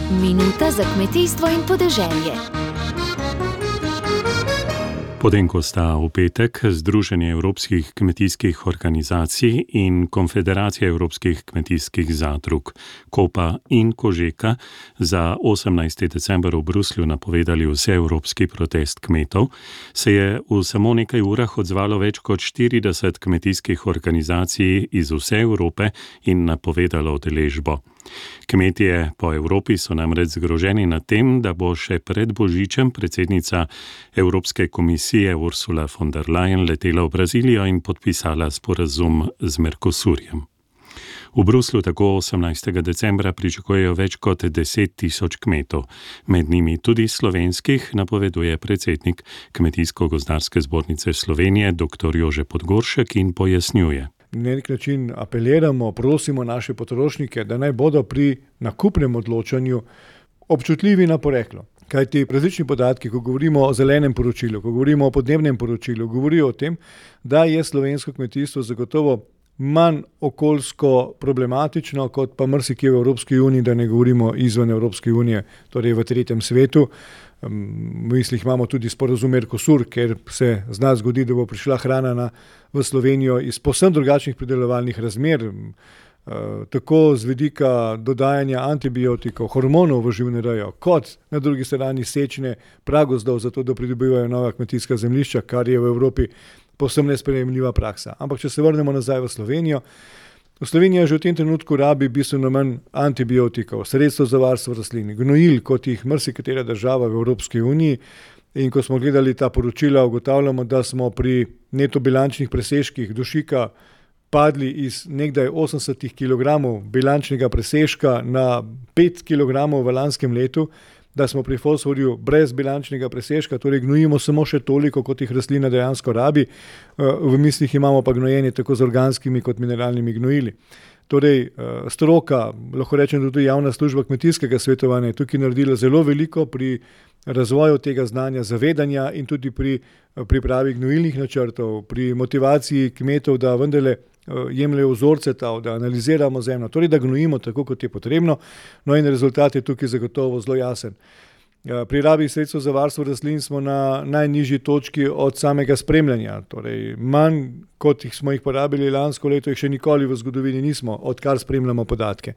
Minuta za kmetijstvo in podeželje. Potem, ko sta v petek Združenje evropskih kmetijskih organizacij in Konfederacija evropskih kmetijskih zadrug, Kopa in Kožeka, za 18. december v Bruslju napovedali vseevropski protest kmetov, se je v samo nekaj urah odzvalo več kot 40 kmetijskih organizacij iz vse Evrope in napovedalo udeležbo. Kmetje po Evropi so namreč zgroženi nad tem, da bo še pred Božičem predsednica Evropske komisije Ursula von der Leyen letela v Brazilijo in podpisala sporazum z Mercosurjem. V Bruslju tako 18. decembra pričakujejo več kot 10 tisoč kmetov, med njimi tudi slovenskih, napoveduje predsednik Kmetijsko-gozdarske zbornice Slovenije dr. Jože Podgoršek in pojasnjuje. Na nek način apeliramo, prosimo naše potrošnike, da naj bodo pri nakupnem odločanju občutljivi na poreklo. Kajti različni podatki, ko govorimo o zelenem poročilu, ko govorimo o podnebnem poročilu, govorijo o tem, da je slovensko kmetijstvo zagotovo manj okoljsko problematično kot pa marsikje v Evropski uniji, da ne govorimo izven Evropske unije, torej v tretjem svetu. V mislih imamo tudi sporazum Mercosur, ker se zna zgodi, da bo prišla hrana v Slovenijo iz povsem drugačnih pridelovalnih razmer, tako z vidika dodajanja antibiotikov, hormonov v živinorejo, kot na drugi strani sečne pragozdov, zato da pridobivajo nova kmetijska zemljišča, kar je v Evropi povsem nesprejemljiva praksa. Ampak če se vrnemo nazaj v Slovenijo, Slovenija že v tem trenutku rabi bistveno manj antibiotikov, sredstev za varstvo rastlin, gnojil, kot jih marsikatera država v Evropski uniji. In ko smo gledali ta poročila, ugotavljamo, da smo pri neto bilančnih presežkih dušika padli iz nekdaj 80 kg bilančnega presežka na 5 kg v lanskem letu, da smo pri fosforju brez bilančnega presežka, torej gnojimo samo še toliko, kot jih rastlina dejansko rabi. V mislih imamo pa gnojenje tako z organskimi kot mineralnimi gnojili. Torej, stroka, lahko rečem tudi javna služba kmetijskega svetovanja, je tukaj naredila zelo veliko pri razvoju tega znanja, zavedanja in tudi pri pripravi gnojilnih načrtov, pri motivaciji kmetov, da vendarle jemljejo vzorce tal, da analiziramo zemljo, torej da gnojimo tako, kot je potrebno. No in rezultat je tukaj zagotovo zelo jasen. Pri rabi sredstev za varstvo rastlin smo na najnižji točki od samega spremljanja, torej manj kot smo jih porabili lansko leto, jih še nikoli v zgodovini nismo, odkar spremljamo podatke.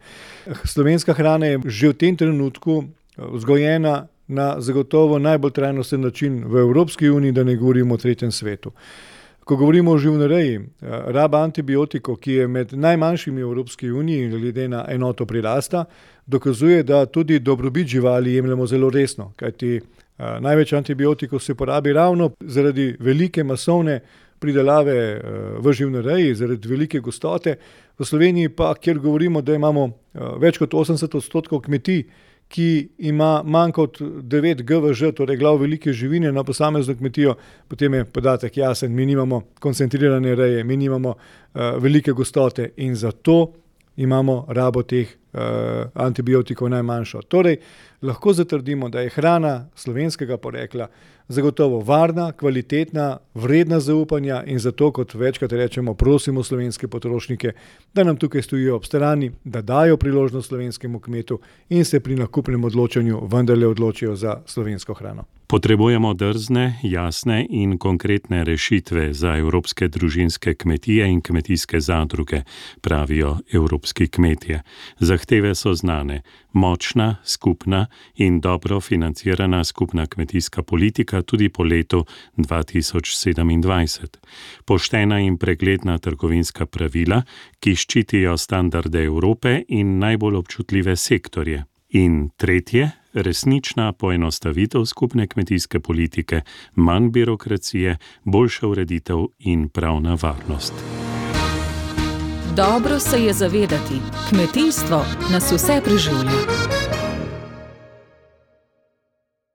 Slovenska hrana je že v tem trenutku vzgojena na zagotovo najbolj trajnosten način v Evropski uniji, da ne govorimo o tretjem svetu. Ko govorimo o živinoreji, raba antibiotikov, ki je med najmanjšimi v Evropski uniji glede na enoto prirasta, dokazuje, da tudi dobrobit živali jemljemo zelo resno, kajti največ antibiotikov se porabi ravno zaradi velike masovne pridelave v živinoreji, zaradi velike gostote. V Sloveniji pa, kjer govorimo, da imamo več kot 80% kmetij, ki ima manj kot 9 GVŽ, torej glav velike živine na posamezno kmetijo, potem je podatek jasen, mi nimamo koncentrirane reje, mi nimamo velike gostote in zato imamo rabo teh antibiotikov najmanjšo. Torej, lahko zatrdimo, da je hrana slovenskega porekla zagotovo varna, kvalitetna, vredna zaupanja in zato, kot večkrat rečemo, prosimo slovenske potrošnike, da nam tukaj stojijo ob strani, da dajo priložnost slovenskemu kmetu in se pri nakupnem odločanju vendarle odločijo za slovensko hrano. Potrebujemo drzne, jasne in konkretne rešitve za evropske družinske kmetije in kmetijske zadruge, pravijo evropski kmetje. Zahteve so znane. Močna, skupna in dobro financirana skupna kmetijska politika tudi po letu 2027. Poštena in pregledna trgovinska pravila, ki ščitijo standarde Evrope in najbolj občutljive sektorje. In tretje, resnična poenostavitev skupne kmetijske politike, manj birokracije, boljša ureditev in pravna varnost. Dobro se je zavedati, kmetijstvo nas vse preživlja.